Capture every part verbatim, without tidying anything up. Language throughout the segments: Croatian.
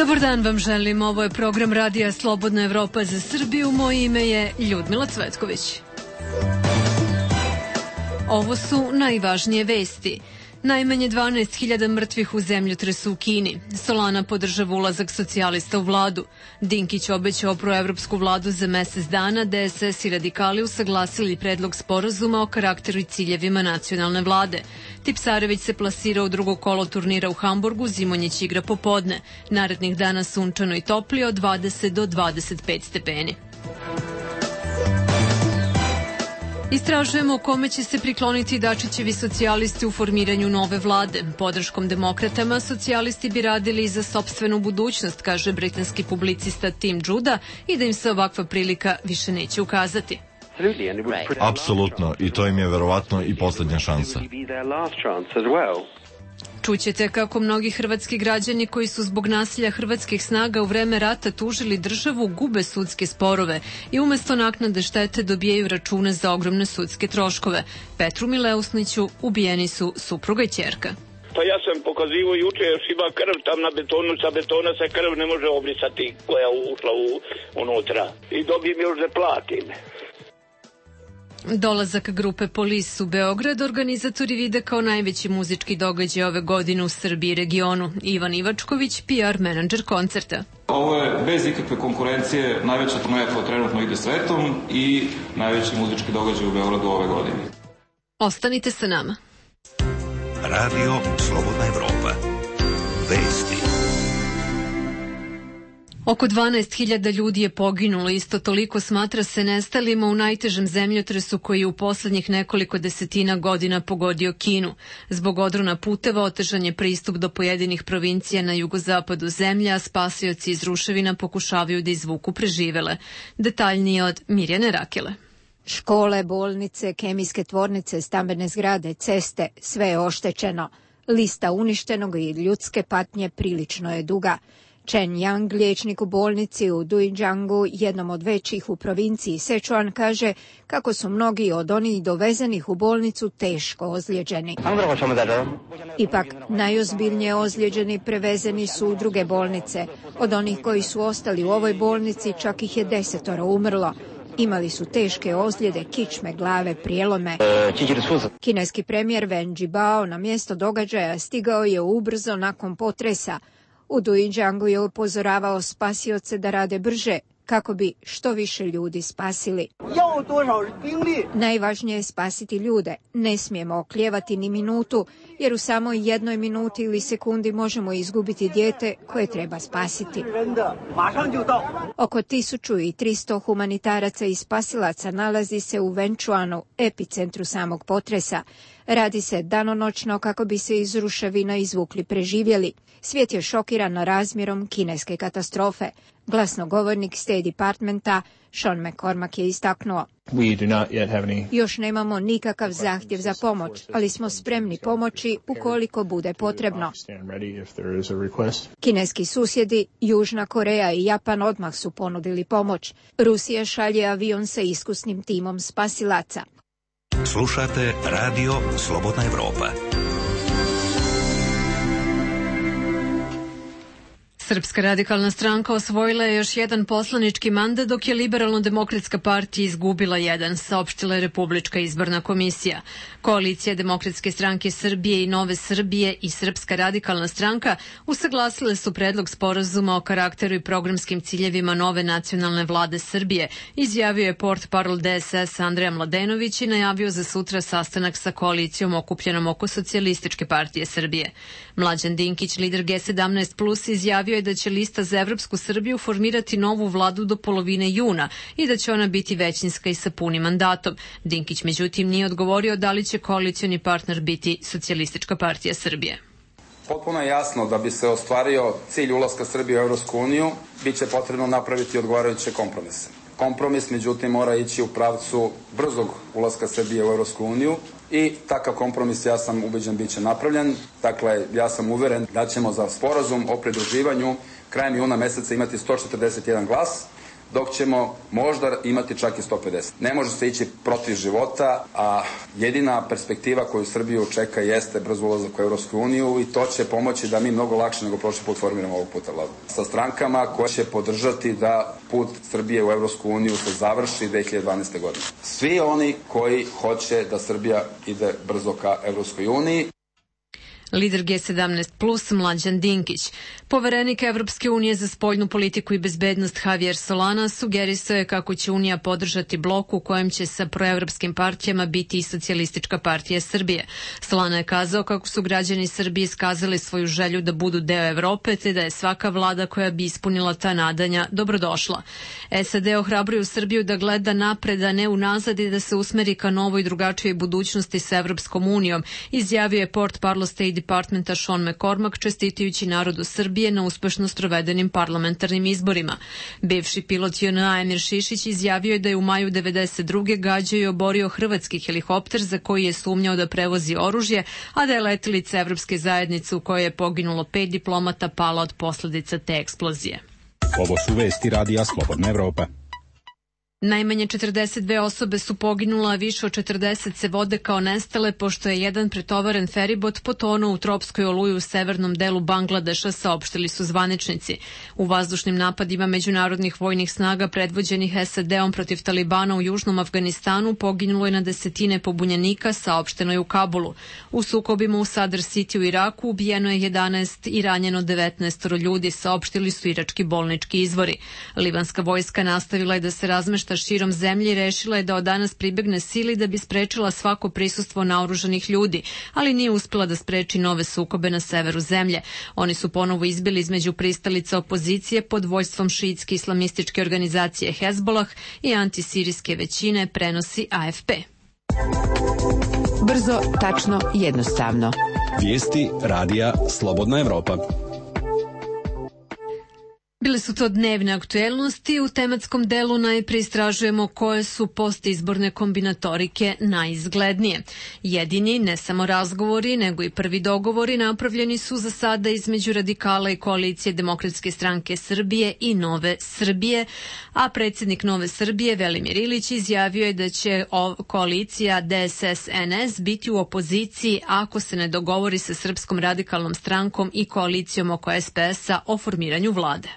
Dobar dan vam želim, ovo je program Radija Slobodna Evropa za Srbiju, moje ime je Ljudmila Cvetković. Ovo su najvažnije vesti. Najmanje dvanaest hiljada mrtvih u zemljotresu u Kini. Solana podržava ulazak socijalista u vladu. Dinkić obećao proevropsku vladu za mesec dana, D S S i radikali usaglasili predlog sporazuma o karakteru i ciljevima nacionalne vlade. Tipsarević se plasira u drugo kolo turnira u Hamburgu, Zimonjić igra popodne. Narednih dana sunčano i toplije od dvadeset do dvadeset pet stepeni. Istražujemo kome će se prikloniti Dačićevi socijalisti u formiranju nove vlade. Podrškom demokratama socijalisti bi radili za sopstvenu budućnost, kaže britanski publicista Tim Judah, i da im se ovakva prilika više neće ukazati. Apsolutno, i to im je verovatno i poslednja šansa. Čućete kako mnogi hrvatski građani koji su zbog nasilja hrvatskih snaga u vreme rata tužili državu gube sudske sporove i umesto naknade štete dobijaju račune za ogromne sudske troškove. Petru Mileusniću ubijeni su supruga i ćerka. Pa ja sam pokazivao juče, još ima krv tam na betonu, sa betona se krv ne može obrisati koja je ušla u, unutra. I dobijem još da platim. Dolazak grupe Police u Beograd organizatori vide kao najveći muzički događaj ove godine u Srbiji i regionu. Ivan Ivačković, P R menadžer koncerta. Ovo je bez ikakve konkurencije najveća turneja koja trenutno ide svetom i najveći muzički događaj u Beogradu ove godine. Ostanite sa nama. Radio Slobodna Evropa. Vesti. Oko dvanaest hiljada ljudi je poginulo, isto toliko smatra se nestalima u najtežem zemljotresu koji je u poslednjih nekoliko desetina godina pogodio Kinu. Zbog odrona puteva otežan je pristup do pojedinih provincija na jugozapadu zemlje, a spasioci iz ruševina pokušavaju da izvuku preživele. Detaljnije od Mirjane Rakele. Škole, bolnice, kemijske tvornice, stambene zgrade, ceste, sve je oštećeno. Lista uništenog i ljudske patnje prilično je duga. Chen Yang, liječnik u bolnici u Dujianggu, jednom od većih u provinciji Sichuan, kaže kako su mnogi od onih dovezenih u bolnicu teško ozlijeđeni. Ipak, najozbiljnije ozlijeđeni prevezeni su u druge bolnice. Od onih koji su ostali u ovoj bolnici čak ih je desetoro umrlo. Imali su teške ozljede, kičme, glave, prijelome. Kineski premijer Wen Jiabao na mjesto događaja stigao je ubrzo nakon potresa. U Dujianggu je upozoravao spasioce da rade brže, kako bi što više ljudi spasili. Najvažnije je spasiti ljude. Ne smijemo oklijevati ni minutu, jer u samo jednoj minuti ili sekundi možemo izgubiti dijete koje treba spasiti. Oko tisuću tristo humanitaraca i spasilaca nalazi se u Wenchuanu, epicentru samog potresa. Radi se danonoćno kako bi se iz ruševina izvukli preživjeli. Svijet je šokiran razmjerom kineske katastrofe. Glasnogovornik State Departmenta Sean McCormack je istaknuo. Any... Još nemamo nikakav zahtjev za pomoć, ali smo spremni pomoći ukoliko bude potrebno. Kineski susjedi, Južna Koreja i Japan odmah su ponudili pomoć. Rusija šalje avion sa iskusnim timom spasilaca. Slušate Radio Slobodna Evropa. Srpska radikalna stranka osvojila je još jedan poslanički mandat, dok je Liberalno-demokratska partija izgubila jedan, saopštila je Republička izborna komisija. Koalicija Demokratske stranke Srbije i Nove Srbije i Srpska radikalna stranka usaglasile su predlog sporazuma o karakteru i programskim ciljevima nove nacionalne vlade Srbije, izjavio je portparol D S S Andreja Mladenović i najavio za sutra sastanak sa koalicijom okupljenom oko Socijalističke partije Srbije. Mlađan Dinkić, lider G sedamnaest plus, izjavio je da će lista za Evropsku Srbiju formirati novu vladu do polovine juna i da će ona biti većinska i sa punim mandatom. Dinkić međutim nije odgovorio da li će koalicioni partner biti Socijalistička partija Srbije. Potpuno je jasno da bi se ostvario cilj ulaska Srbije u Evropsku uniju, bit će potrebno napraviti odgovarajuće kompromise. Kompromis, međutim, mora ići u pravcu brzog ulaska Srbije u Evropsku uniju i takav kompromis, ja sam ubeđen, bit će napravljen. Dakle, ja sam uveren da ćemo za sporazum o pridruživanju krajem juna meseca imati sto četrdeset jedan glas, dok ćemo možda imati čak i sto pedeset. Ne može se ići protiv života, a jedina perspektiva koju Srbiju čeka jeste brz ulazak u Evropsku uniju i to će pomoći da mi mnogo lakše nego prošli put formiramo ovog puta vladu. Sa strankama koje će podržati da put Srbije u Evropsku uniju se završi dve hiljade dvanaeste. godine. Svi oni koji hoće da Srbija ide brzo ka Evropskoj uniji. Lider G sedamnaest plus Mlađan Dinkić. Poverenik Evropske unije za spoljnu politiku i bezbednost Javier Solana sugerisao je kako će Unija podržati blok u kojem će sa proevropskim partijama biti i Socijalistička partija Srbije. Solana je kazao kako su građani Srbije iskazali svoju želju da budu deo Evrope, te da je svaka vlada koja bi ispunila ta nadanja dobrodošla. S A D ohrabruju Srbiju da gleda napred, a ne unazad i da se usmeri ka novoj i drugačijoj budućnosti sa Evropskom unijom, izjavio je portparol State Departmenta Sean McCormack čestitajući narodu Srbije na uspešno sprovedenim parlamentarnim izborima. Bivši pilot J N A Emir Šišić izjavio je da je u maju devedeset druge gađao i oborio hrvatski helikopter za koji je sumnjao da prevozi oružje, a da je letelica Evropske zajednice u kojoj je poginulo pet diplomata pala od posledica te eksplozije. Ovo su vesti Radija Slobodna Evropa. Najmanje četrdeset dve osobe su poginula, a više od četrdeset se vode kao nestale, pošto je jedan pretovaren feribot potonuo u tropskoj oluji u severnom delu Bangladeša, saopštili su zvaničnici. U vazdušnim napadima međunarodnih vojnih snaga predvođenih S A D-om protiv Talibana u južnom Afganistanu poginulo je na desetine pobunjenika, saopšteno je u Kabulu. U sukobima u Sadr City u Iraku ubijeno je jedanaest i ranjeno devetnaest ljudi, saopštili su irački bolnički izvori. Libanska vojska nastavila je da se razmešta širom zemlje i rešila je da od danas pribegne sili da bi sprečila svako prisustvo naoružanih ljudi, ali nije uspela da spreči nove sukobe na severu zemlje. Oni su ponovo izbili između pristalica opozicije pod vođstvom šiitske islamističke organizacije Hezbolah i antisirijske većine, prenosi A F P. Brzo, tačno, jednostavno. Vijesti Radija Slobodna Evropa. Bile su to dnevne aktuelnosti. U tematskom delu najpre istražujemo koje su postizborne kombinatorike najizglednije. Jedini, ne samo razgovori, nego i prvi dogovori napravljeni su za sada između radikala i koalicije Demokratske stranke Srbije i Nove Srbije, a predsjednik Nove Srbije Velimir Ilić izjavio je da će koalicija D S S N S biti u opoziciji ako se ne dogovori sa Srpskom radikalnom strankom i koalicijom oko S P S-a o formiranju vlade.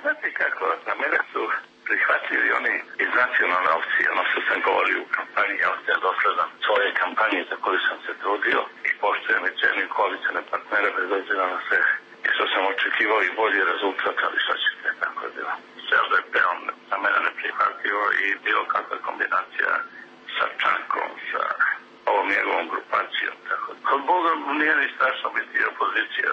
Znate kako, za mene su prihvatili oni iz nacionalne opcije, ono što sam govorio u kampanji, ja sam dosledan svoje kampanje za koju sam se trudio i poštujem i cenim koalicione partnere bez obzira na sve. I što sam očekivao i bolji rezultat, ali što ćete, tako je bilo. S L D P-om za mene ne prihvatio i bilo kakva kombinacija sa Čankom, sa ovom njegovom grupacijom, tako da. Kod Boga nije ni strašno biti opozicija.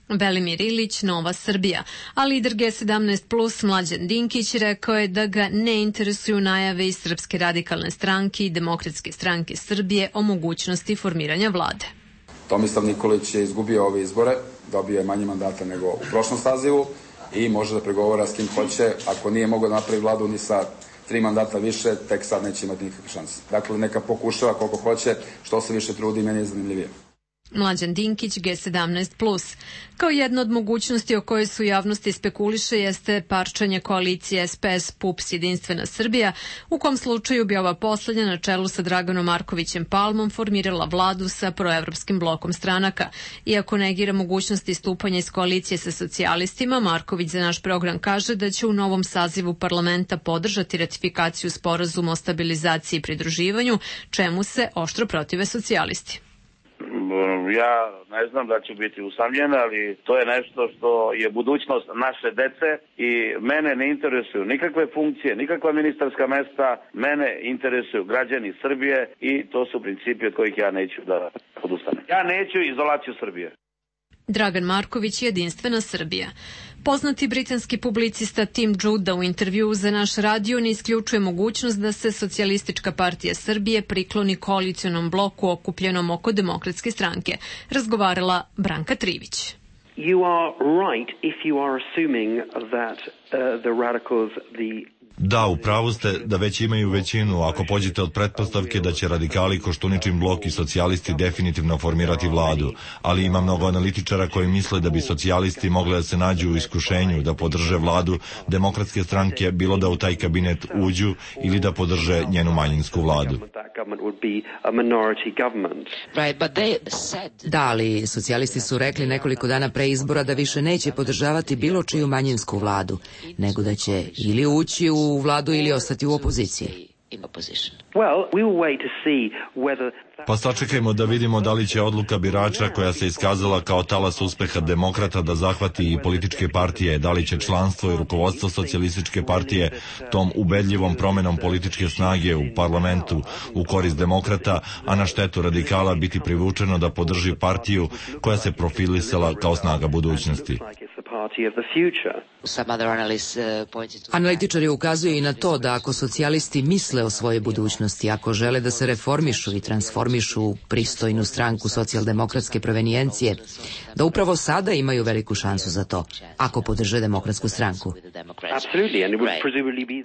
Velimir Ilić, Nova Srbija, a lider G sedamnaest plus Mlađan Dinkić rekao je da ga ne interesuju najave iz Srpske radikalne stranke i Demokratske stranke Srbije o mogućnosti formiranja vlade. Tomislav Nikolić je izgubio ove izbore, dobio je manje mandata nego u prošlom sazivu i može da pregovara s kim hoće. Ako nije mogao da napravi vladu ni sa tri mandata više, tek sad neće imati nikakve šanse. Dakle, neka pokušava koliko hoće, što se više trudi, meni je zanimljivije. Mlađan Dinkić, G sedamnaest plus. Kao jedna od mogućnosti o kojoj su javnosti spekuliše jeste parčanje koalicije S P S P U P S Jedinstvena Srbija, u kom slučaju bi ova poslednja na čelu sa Draganom Markovićem Palmom formirala vladu sa proevropskim blokom stranaka. Iako negira mogućnosti istupanja iz koalicije sa socijalistima, Marković za naš program kaže da će u novom sazivu parlamenta podržati ratifikaciju sporazuma o stabilizaciji i pridruživanju, čemu se oštro protive socijalisti. Ja ne znam da ću biti usamljen, ali to je nešto što je budućnost naše dece i mene ne interesuju nikakve funkcije, nikakva ministarska mesta, mene interesuju građani Srbije i to su principi od kojih ja neću da odustanem. Ja neću izolaciju Srbije. Dragan Marković, Jedinstvena Srbija. Poznati britanski publicista Tim Juda u intervjuu za naš radio ne isključuje mogućnost da se Socijalistička partija Srbije prikloni koalicionom bloku okupljenom oko Demokratske stranke. Razgovarala Branka Trivić. You are right if you are assuming that uh, the radicals, the Da, u pravu ste da već imaju većinu ako pođete od pretpostavke da će radikali, Koštuničin blok i socijalisti definitivno formirati vladu, ali ima mnogo analitičara koji misle da bi socijalisti mogli da se nađu u iskušenju da podrže vladu demokratske stranke, bilo da u taj kabinet uđu ili da podrže njenu manjinsku vladu. Da, ali socijalisti su rekli nekoliko dana pre izbora da više neće podržavati bilo čiju manjinsku vladu, nego da će ili ući u vladu ili ostati u opoziciji. Pa sačekajmo da vidimo da li će odluka birača koja se iskazala kao talas uspeha demokrata da zahvati i političke partije, da li će članstvo i rukovodstvo socijalističke partije tom ubedljivom promenom političke snage u parlamentu u korist demokrata, a na štetu radikala biti privučeno da podrži partiju koja se profilisala kao snaga budućnosti. Analitičari ukazuju i na to da ako socijalisti misle o svojoj budućnosti, ako žele da se reformišu i transformišu u pristojnu stranku socijaldemokratske provenijencije, da upravo sada imaju veliku šansu za to, ako podrže demokratsku stranku.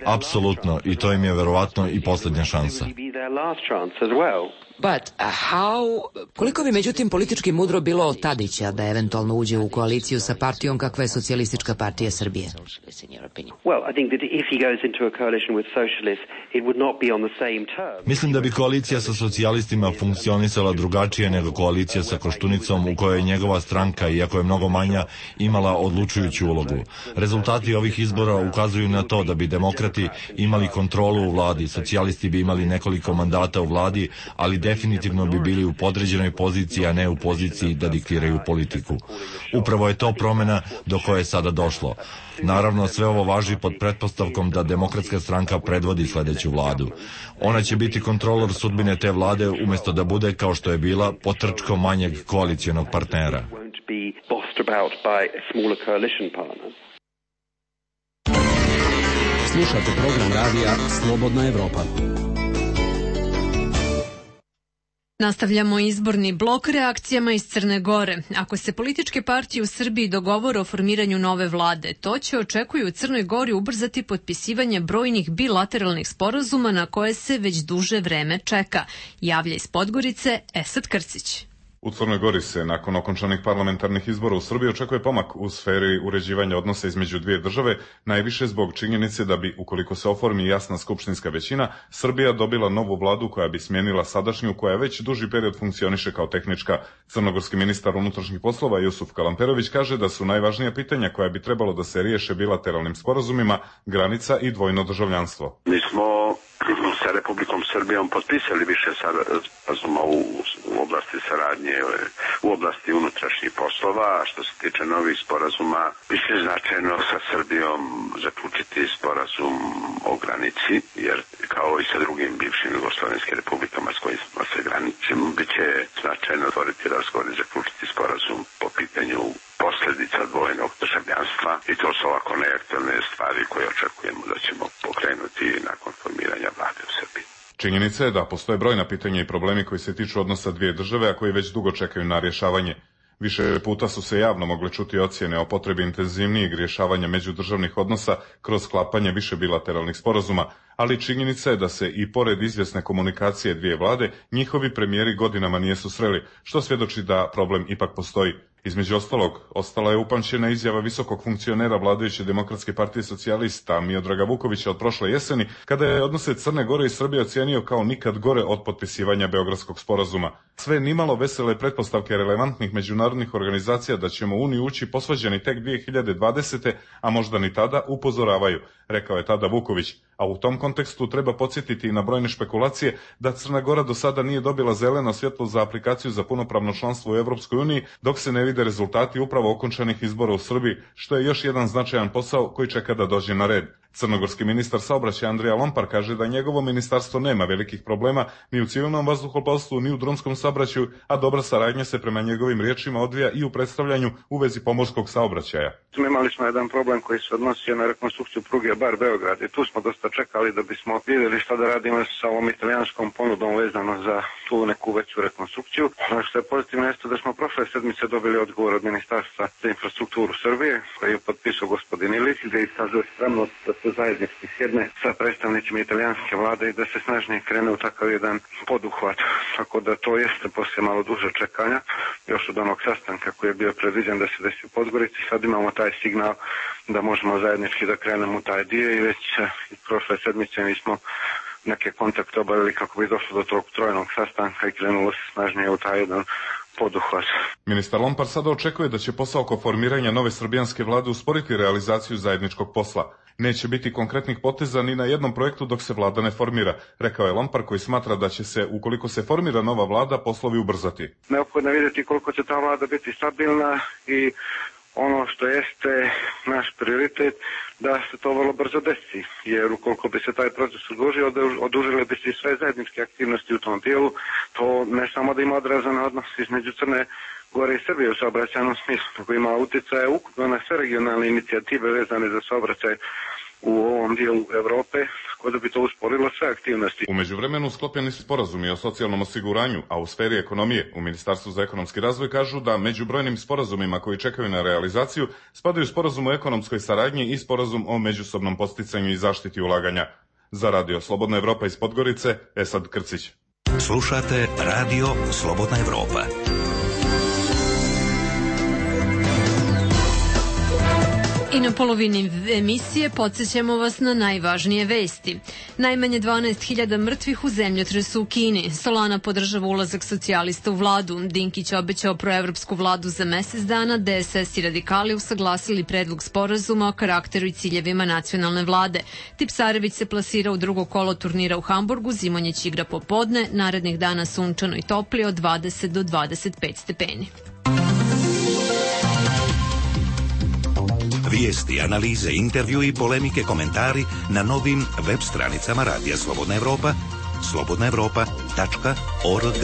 Apsolutno, i to im je verovatno i poslednja šansa. But, uh, how... Koliko bi međutim politički mudro bilo od Tadića da eventualno uđe u koaliciju sa partijom kakva je Socijalistička partija Srbije? Mislim da bi koalicija sa socijalistima funkcionisala drugačije nego koalicija sa Koštunicom u kojoj je njegova stranka, iako je mnogo manja, imala odlučujuću ulogu. Rezultati ovih izbora ukazuju na to da bi demokrati imali kontrolu u vladi, socijalisti bi imali nekoliko mandata u vladi, ali definitivno bi bili u podređenoj poziciji, a ne u poziciji da diktiraju politiku. Upravo je to promena do koje je sada došlo. Naravno, sve ovo važi pod pretpostavkom da demokratska stranka predvodi sledeću vladu. Ona će biti kontrolor sudbine te vlade umesto da bude, kao što je bila, potrčkom manjeg koalicijonog partnera. Slušate program radija Slobodna Evropa. Nastavljamo izborni blok reakcijama iz Crne Gore. Ako se političke partije u Srbiji dogovore o formiranju nove vlade, to će, očekuju u Crnoj Gori, ubrzati potpisivanje brojnih bilateralnih sporazuma na koje se već duže vreme čeka. Javlja iz Podgorice Esad Krcić. U Crnoj Gori se nakon okončanih parlamentarnih izbora u Srbiji očekuje pomak u sferi uređivanja odnosa između dvije države, najviše zbog činjenice da bi, ukoliko se oformi jasna skupštinska većina, Srbija dobila novu vladu koja bi smijenila sadašnju, koja već duži period funkcioniše kao tehnička. Crnogorski ministar unutrašnjih poslova Jusuf Kalamperović kaže da su najvažnija pitanja koja bi trebalo da se riješe bilateralnim sporazumima granica i dvojno državljanstvo. Mi smo sa Republikom Srbijom potpisali više sporazuma u, u oblasti saradnje, u oblasti unutrašnjih poslova, a što se tiče novih sporazuma, više je značajno sa Srbijom zaključiti sporazum o granici, jer kao i sa drugim bivšim jugoslovenskim republikama s kojima se graničimo, bit će značajno otvoriti razgovor i zaključiti sporazum po pitanju posljedica dvojnog državljanstva, i to su ovako neaktualne stvari koje očekujemo da ćemo pokrenuti nakon formiranja vlade u Srbiji. Činjenica je da postoje brojna pitanja i problemi koji se tiču odnosa dvije države, a koji već dugo čekaju na rješavanje. Više puta su se javno mogle čuti ocjene o potrebi intenzivnijeg rješavanja međudržavnih odnosa kroz sklapanje više bilateralnih sporazuma, ali činjenica je da se i pored izvjesne komunikacije dvije vlade, njihovi premijeri godinama nije susreli, što svjedoči da problem ipak postoji. Između ostalog, ostala je upamćena izjava visokog funkcionera vladajuće Demokratske partije socijalista Miodraga Vukovića od prošle jeseni, kada je odnose Crne Gore i Srbije ocijenio kao nikad gore od potpisivanja Beogradskog sporazuma. Sve nimalo vesele pretpostavke relevantnih međunarodnih organizacija da ćemo u Uniju ući posvađani tek dvije hiljade dvadesete. a možda ni tada, upozoravaju, rekao je tada Vuković. A u tom kontekstu treba podsjetiti i na brojne špekulacije da Crna Gora do sada nije dobila zeleno svjetlo za aplikaciju za punopravno članstvo u Evropskoj uniji, dok se ne vide rezultati upravo okončanih izbora u Srbiji, što je još jedan značajan posao koji čeka da dođe na red. Crnogorski ministar saobraćaja Andrija Lompar kaže da njegovo ministarstvo nema velikih problema ni u civilnom vazduhoplovstvu, ni u drumskom saobraćaju, a dobra saradnja se prema njegovim riječima odvija i u predstavljanju u vezi pomorskog saobraćaja. Imali smo jedan problem koji se odnosio na rekonstrukciju pruge Bar-Beograd i tu smo dosta čekali da bismo vidjeli šta da radimo sa ovom italijanskom ponudom vezano za tu neku veću rekonstrukciju. Ono što je pozitivno jeste da smo prošle sedmice dobili odgovor od Ministarstva za infrastrukturu Srbije, koji je potpisao gospodin Ilić, gdje je iskazao spremnost da se zajednički sjedne sa predstavnicima italijanske vlade i da se snažnije krene u takav jedan poduhvat. Tako da to jeste poslije malo duže čekanja, još od onog sastanka koji je bio predviđen da se desi u Podgorici. Sad imamo taj signal da možemo zajednički da krenemo u taj dio i već prošle sedmice mi smo neke kontakte obavili kako bi došlo do tog trojnog sastanka i krenulo se snažnije u taj jedan poduhvat. Ministar Lompar sada očekuje da će posao oko formiranja nove srbijanske vlade usporiti realizaciju zajedničkog posla. Neće biti konkretnih poteza ni na jednom projektu dok se vlada ne formira, rekao je Lompar koji smatra da će se, ukoliko se formira nova vlada, poslovi ubrzati. Neophodno je vidjeti koliko će ta vlada biti stabilna i ono što jeste naš prioritet da se to vrlo brzo desi, jer ukoliko bi se taj proces odužio, odužile bi se i sve zajedničke aktivnosti u tom dijelu, to ne samo da ima odrazan odnos između Crne Gore i Srbije u saobraćajnom smislu, nego ima utjecaje ukupno na sve regionalne inicijative vezane za saobraćaj u ovom dijelu Evrope, tako da bi to usporilo sve aktivnosti. U međuvremenu sklopljeni su sporazumi o socijalnom osiguranju, a u sferi ekonomije u Ministarstvu za ekonomski razvoj kažu da među brojnim sporazumima koji čekaju na realizaciju spadaju sporazum o ekonomskoj saradnji i sporazum o međusobnom podsticanju i zaštiti ulaganja. Za Radio Slobodna Evropa iz Podgorice, Esad Krcić. Slušate Radio Slobodna Evropa. I na polovini emisije podsjećamo vas na najvažnije vesti. Najmanje dvanaest hiljada mrtvih u zemljotresu u Kini. Solana podržava ulazak socijalista u vladu. Dinkić obećao proevropsku vladu za mesec dana. D S S i radikali usaglasili predlog sporazuma o karakteru i ciljevima nacionalne vlade. Tipsarević se plasira u drugo kolo turnira u Hamburgu. Zimonjić igra popodne. Narednih dana sunčano i toplije od dvadeset do dvadeset pet stepeni. Vijesti, analize, intervju i polemike, komentari na novim web stranicama Radija Slobodna Evropa, slobodna evropa tačka org.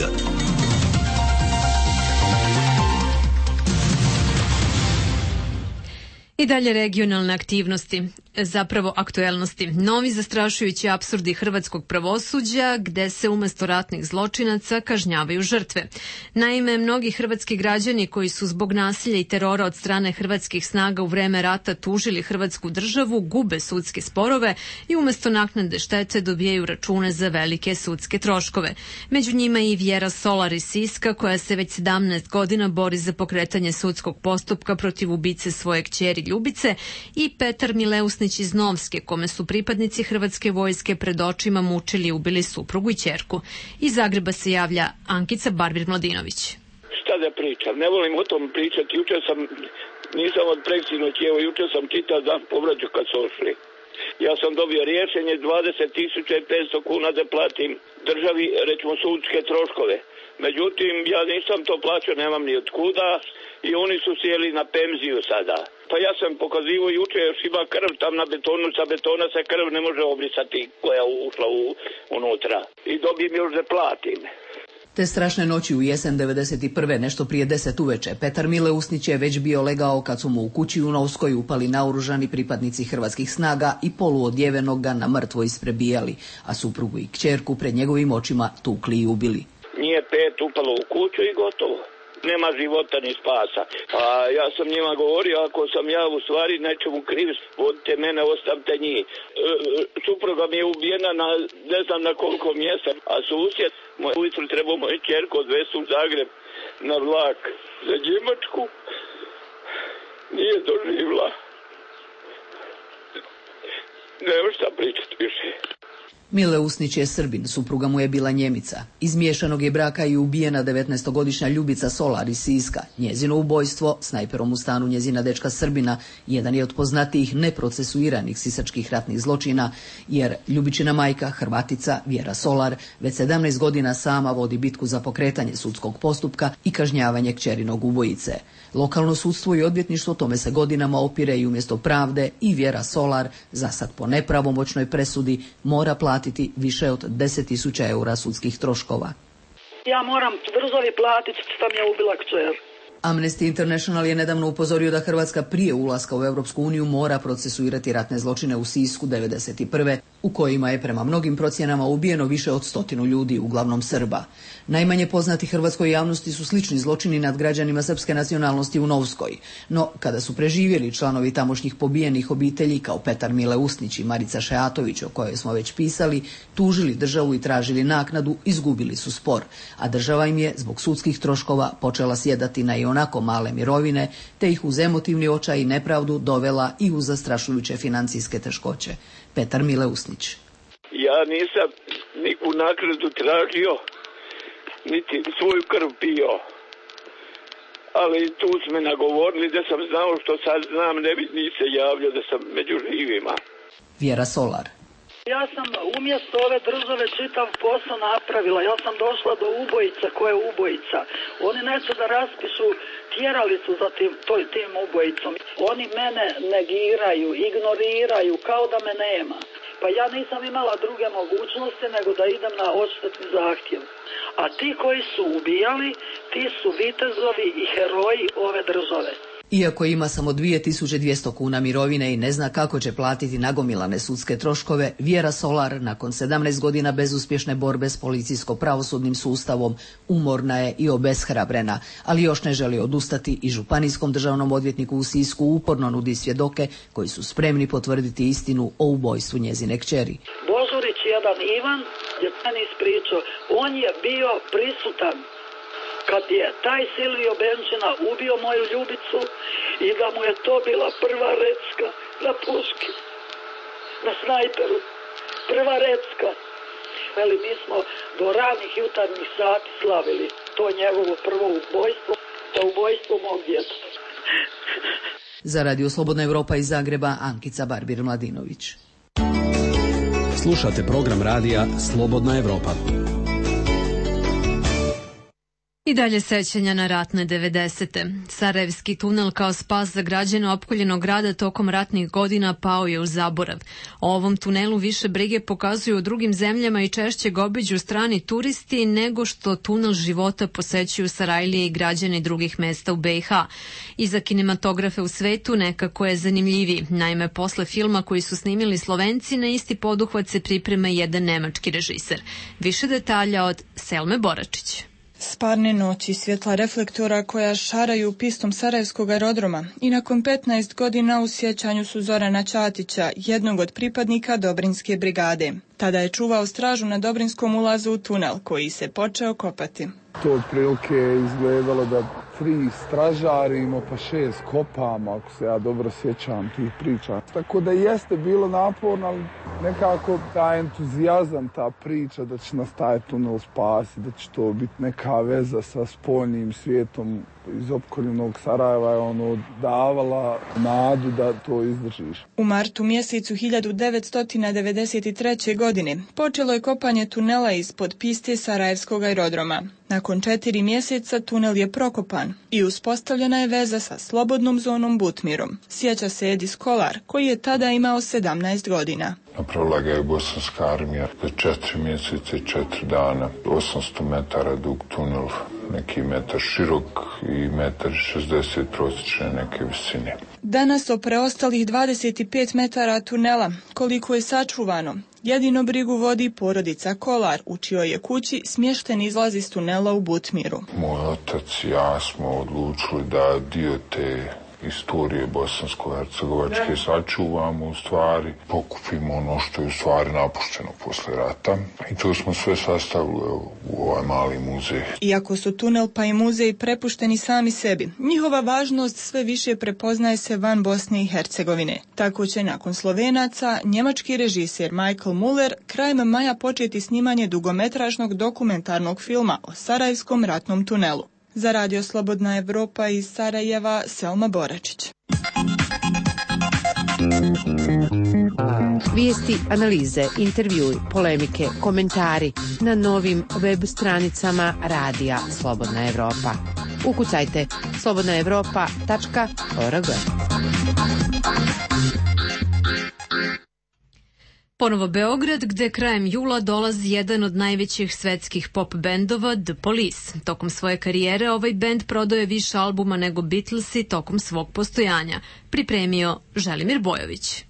I dalje regionalne aktivnosti, zapravo aktuelnosti. Novi zastrašujući apsurdi hrvatskog pravosuđa gde se umesto ratnih zločinaca kažnjavaju žrtve. Naime, mnogi hrvatski građani koji su zbog nasilja i terora od strane hrvatskih snaga u vreme rata tužili hrvatsku državu gube sudske sporove i umesto naknade štete dobijaju račune za velike sudske troškove. Među njima i Vjera Solar iz Siska koja se već sedamnaest godina bori za pokretanje sudskog postupka protiv ubice svoje kćeri Ljubice i Petar Mileusnić iz Novske, kome su pripadnici hrvatske vojske pred očima mučili i ubili suprugu i ćerku. Iz Zagreba se javlja Ankica Barbir-Mladinović. Šta da pričam, ne volim o tom pričati. Juče sam, nisam od preksinoć, evo juče sam čitao dan povraću kad su ošli. Ja sam dobio rješenje dvadeset tisuća petsto kuna da platim državi, recimo, sudske troškove. Međutim, ja nisam to plaćao, nemam ni od kuda i oni su sjeli na penziju sada. Pa ja sam pokazivo juče, još ima krv tam na betonu, sa betona se krv ne može obrisati koja je ušla u, unutra. I dobijem još da platim. Te strašne noći u jesen devedeset prve, nešto prije deset uveče, Petar Mileusnić je već bio legao kad su mu u kući u Novskoj upali naoružani pripadnici hrvatskih snaga i poluodjevenog ga na mrtvo isprebijali, a suprugu i kćerku pred njegovim očima tukli i ubili. Nije pet upalo u kuću i gotovo. Nema života ni spasa. A ja sam njima govorio, ako sam ja u stvari nečemu kriv, vodite mene, ostavite njih. E, supruga mi je ubijena na ne znam na koliko mjesta, a susjed, moj ujutru trebao moju ćerku odvesti u Zagreb na vlak za Njemačku. Nije doživla. Nema šta pričati više. Mileusnić je Srbin, supruga mu je bila Njemica. Iz miješanog je braka i ubijena devetnaestogodišnja Ljubica Solar iz Siska. Njezino ubojstvo, snajperom u stanu njezina dečka Srbina, jedan je od poznatijih neprocesuiranih sisačkih ratnih zločina, jer Ljubičina majka, Hrvatica Vjera Solar, već sedamnaest godina sama vodi bitku za pokretanje sudskog postupka i kažnjavanje kćerinog ubojice. Lokalno sudstvo i odvjetništvo tome se godinama opire i umjesto pravde i Vjera Solar, zasad po nepravomoćnoj presudi, mora platiti više od deset tisuća eura sudskih troškova. Ja moram državi platiti što mi je ubila kćer. Amnesty International je nedavno upozorio da Hrvatska prije ulaska u Europsku uniju mora procesuirati ratne zločine u Sisku devedeset prve u kojima je prema mnogim procjenama ubijeno više od stotinu ljudi, uglavnom Srba. Najmanje poznati hrvatskoj javnosti su slični zločini nad građanima srpske nacionalnosti u Novskoj, no kada su preživjeli članovi tamošnjih pobijenih obitelji kao Petar Mile Usnić i Marica Šeatović, o kojoj smo već pisali, tužili državu i tražili naknadu, izgubili su spor, a država im je zbog sudskih troškova počela sjedati na i onako male mirovine, te ih uz emotivni očaj i nepravdu dovela i u zastrašujuće financijske teškoće. Petar Mile Usnić. Ja nisam niku naknadu tražio, niti svoju krv pio. Ali tu su me nagovorili da sam znao što sad znam, ne bi ni se javljao da sam među živima. Vjera Solar. Ja sam umjesto ove države čitav posao napravila. Ja sam došla do ubojica koja je ubojica. Oni neće da raspišu tjeralicu za tim, toj, tim ubojicom. Oni mene negiraju, ignoriraju kao da me nema. Pa ja nisam imala druge mogućnosti nego da idem na odštetni zahtjev. A ti koji su ubijali, ti su vitezovi i heroji ove države. Iako ima samo dvije tisuće dvjesto kuna mirovine i ne zna kako će platiti nagomilane sudske troškove, Vjera Solar, nakon sedamnaest godina bezuspješne borbe s policijsko-pravosudnim sustavom, umorna je i obeshrabrena, ali još ne želi odustati i županijskom državnom odvjetniku u Sisku uporno nudi svjedoke koji su spremni potvrditi istinu o ubojstvu njezine kćeri. Božurić jedan Ivan je meni ispričao, on je bio prisutan kad je taj Silvio Benčina ubio moju ljubicu i da mu je to bila prva recka na puški, na snajperu, prva recka. Veli, mi smo do ranih jutarnjih sati slavili to njegovo prvo ubojstvo, to ubojstvo mog djeteta. Za Radio Slobodna Evropa iz Zagreba, Ankica Barbir-Mladinović. Slušate program radija Slobodna Evropa. I dalje sećanja na ratne devedesete. Sarajevski tunel kao spas za građane opkoljenog grada tokom ratnih godina pao je u zaborav. O ovom tunelu više brige pokazuju u drugim zemljama i češće ga obiđu strani turisti nego što tunel života posećuju Sarajlije i građani drugih mesta u be i ha. I za kinematografe u svetu nekako je zanimljiviji. Naime, posle filma koji su snimili Slovenci, na isti poduhvat se priprema jedan nemački režiser. Više detalja od Selme Boračić. Sparne noći, svjetla reflektora koja šaraju pistom Sarajevskog aerodroma i nakon petnaest godina u sjećanju su Zorana Ćatića, jednog od pripadnika Dobrinske brigade. Tada je čuvao stražu na Dobrinskom ulazu u tunel koji se počeo kopati. To otprilike je izgledalo da tri stražarimo pa šest kopama, ako se ja dobro sjećam tih priča. Tako da jeste bilo naporno, ali nekako taj entuzijazam, ta priča da će nas taj tunel spasiti, da će to biti neka veza sa spoljnim svijetom iz opkoljenog Sarajeva je ono davala nadu da to izdržiš. U martu mjesecu hiljadu devetsto devedeset treće. godine počelo je kopanje tunela ispod piste Sarajevskog aerodroma. Nakon četiri mjeseca tunel je prokopan i uspostavljena je veza sa slobodnom zonom Butmirom. Sjeća se Edis Kolar, koji je tada imao sedamnaest godina. Napravila ga je bosanska armija za četiri mjeseca i četiri dana. osamsto metara dug tunel, neki metar širok i metar šezdeset prosječne neke visine. Danas o preostalih dvadeset pet metara tunela, koliko je sačuvano, jedino brigu vodi porodica Kolar, u čijoj je kući smješten izlaz iz tunela u Butmiru. Moj otac i ja smo odlučili da dio te istorije bosansko-hercegovačke sačuvamo, u stvari pokupimo ono što je u stvari napušteno posle rata i to smo sve sastavili u ovaj mali muzej. Iako su tunel pa i muzej prepušteni sami sebi, njihova važnost sve više prepoznaje se van Bosne i Hercegovine. Tako će nakon Slovenaca njemački režiser Michael Muller krajem maja početi snimanje dugometražnog dokumentarnog filma o Sarajevskom ratnom tunelu. Za Radio Slobodna Evropa iz Sarajeva, Selma Boračić. Vijesti, analize, intervjui, polemike, komentari na novim web stranicama Radija Slobodna Evropa. Ukucajte slobodna evropa tačka org. Ponovo Beograd, gde krajem jula dolazi jedan od najvećih svetskih pop bendova, The Police. Tokom svoje karijere ovaj bend prodao je više albuma nego Beatlesi tokom svog postojanja. Pripremio Želimir Bojović.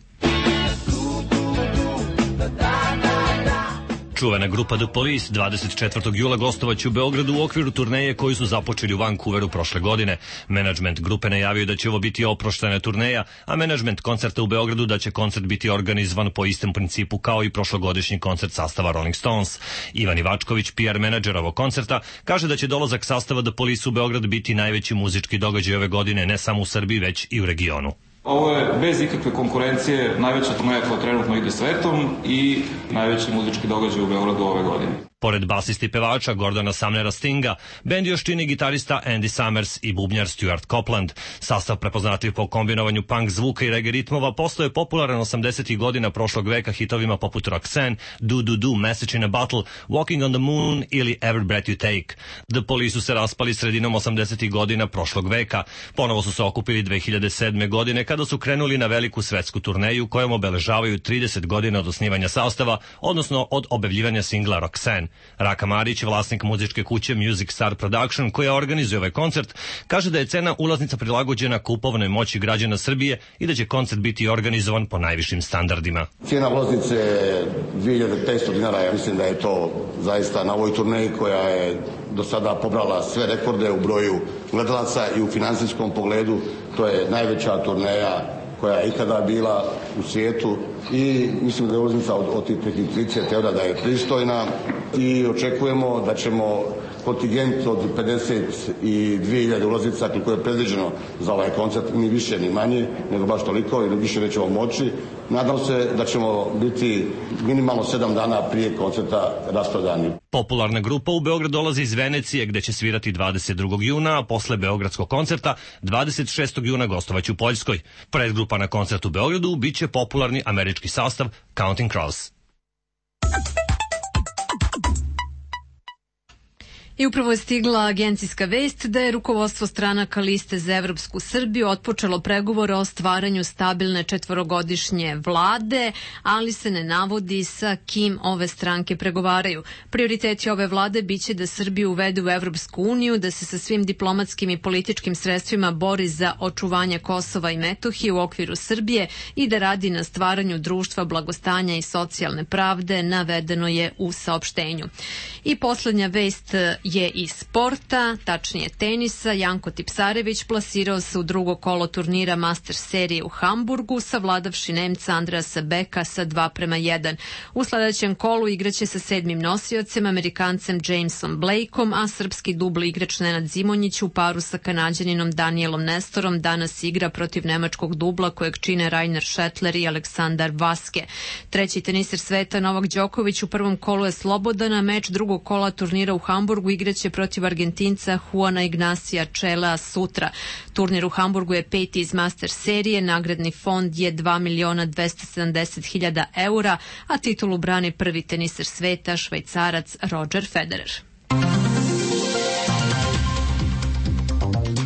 Čuvena grupa The Police dvadeset četvrtog jula gostovaće u Beogradu u okviru turneje koju su započeli u Vancouveru prošle godine. Menadžment grupe najavio da će ovo biti oproštena turneja, a menadžment koncerta u Beogradu da će koncert biti organizovan po istom principu kao i prošlogodišnji koncert sastava Rolling Stones. Ivan Ivačković, P R menadžer ovog koncerta, kaže da će dolazak sastava The Police u Beograd biti najveći muzički događaj ove godine ne samo u Srbiji, već i u regionu. Ovo je bez ikakve konkurencije najveća turneja koja trenutno ide svetom i najveći muzički događaj u Beogradu ove godine. Pored basisti pevača Gordona Sumnera Stinga, bend još čini gitarista Andy Summers i bubnjar Stuart Copeland. Sastav prepoznatljiv po kombinovanju punk zvuka i reggae ritmova postao je popularan osamdesetih godina prošlog veka hitovima poput Roxanne, Do Do Do, Message in a Bottle, Walking on the Moon ili Every Breath You Take. The Police su se raspali sredinom osamdesetih godina prošlog veka. Ponovo su se okupili dve hiljade sedme. godine kada su krenuli na veliku svetsku turneju kojom obeležavaju trideset godina od osnivanja sastava, odnosno od objavljivanja singla Roxanne. Raka Marić, vlasnik muzičke kuće Music Star Production, koja organizuje ovaj koncert, kaže da je cena ulaznica prilagođena kupovnoj moći građana Srbije i da će koncert biti organizovan po najvišim standardima. Cijena ulaznice je dve hiljade petsto dinara, ja mislim da je to zaista na ovoj turneji koja je do sada pobrala sve rekorde u broju gledalaca i u finansijskom pogledu. To je najveća turneja koja je ikada bila u svijetu i mislim da je ulaznica od, od tih trideset evra da je pristojna i očekujemo da ćemo kontingent od pedeset dve hiljade ulaznica koliko je predviđeno za ovaj koncert, ni više ni manje, nego baš toliko ili više nećemo moći. Nadam se da ćemo biti minimalno sedam dana prije koncerta rasprodani. Popularna grupa u Beograd dolazi iz Venecije gde će svirati dvadeset drugog juna, a posle beogradskog koncerta dvadeset šestog juna gostovaće u Poljskoj. Predgrupa na koncertu u Beogradu biće popularni američki sastav Counting Crows. I upravo je stigla agencijska vest da je rukovodstvo stranaka Liste za evropsku Srbiju otpočelo pregovore o stvaranju stabilne četvorogodišnje vlade, ali se ne navodi sa kim ove stranke pregovaraju. Prioriteti ove vlade biće da Srbiju uvede u Evropsku uniju, da se sa svim diplomatskim i političkim sredstvima bori za očuvanje Kosova i Metohije u okviru Srbije i da radi na stvaranju društva blagostanja i socijalne pravde, navedeno je u saopštenju. I poslednja vest je iz sporta, tačnije tenisa. Janko Tipsarević plasirao se u drugo kolo turnira Masters serije u Hamburgu, savladavši Nemca Andreasa Beka sa dva prema jedan. U sledećem kolu igraće sa sedmim nosiocem, Amerikancem Jamesom Blakeom, a srpski dubli igrač Nenad Zimonjić u paru sa Kanađaninom Danielom Nestorom danas igra protiv nemačkog dubla kojeg čine Rainer Šetler i Aleksandar Vaske. Treći teniser sveta Novak Đoković u prvom kolu je slobodan, a meč drugog kola turnira u Hamburgu igraće protiv Argentinca Juana Ignacija Čelea sutra. Turnir u Hamburgu je peti iz Master serije, nagradni fond je dva miliona dvesta sedamdeset hiljada eura, a titulu brani prvi teniser sveta, Švajcarac Roger Federer.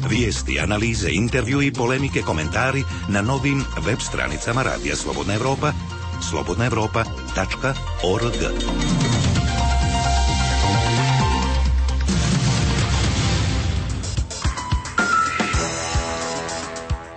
Vijesti, analize, intervju i polemike, komentari na novim web stranicama Radija Slobodna Evropa, slobodna evropa tačka org.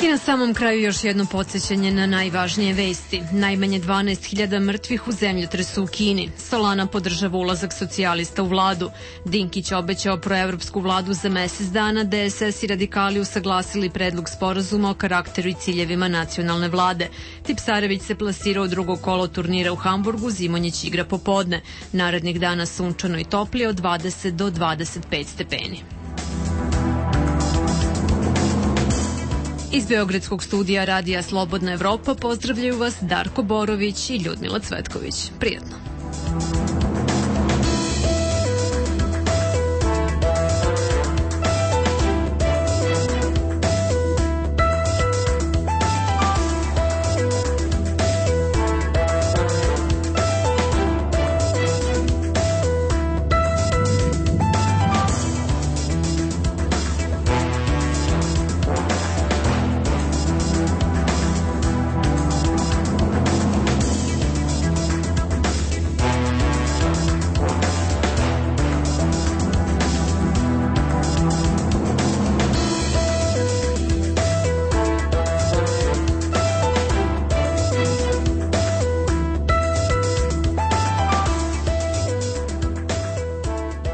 I na samom kraju još jedno podsjećanje na najvažnije vesti. Najmanje dvanaest hiljada mrtvih u zemljotresu u Kini. Solana podržava ulazak socijalista u vladu. Dinkić obećao proevropsku vladu za mesec dana. D S S i radikali usaglasili predlog sporazuma o karakteru i ciljevima nacionalne vlade. Tipsarević se plasirao u drugo kolo turnira u Hamburgu, Zimonjić igra popodne. Narednih dana sunčano i toplije od dvadeset do dvadeset pet stepeni. Iz Beogradskog studija Radija Slobodna Evropa pozdravljaju vas Darko Borović i Ljudmila Cvetković. Prijatno.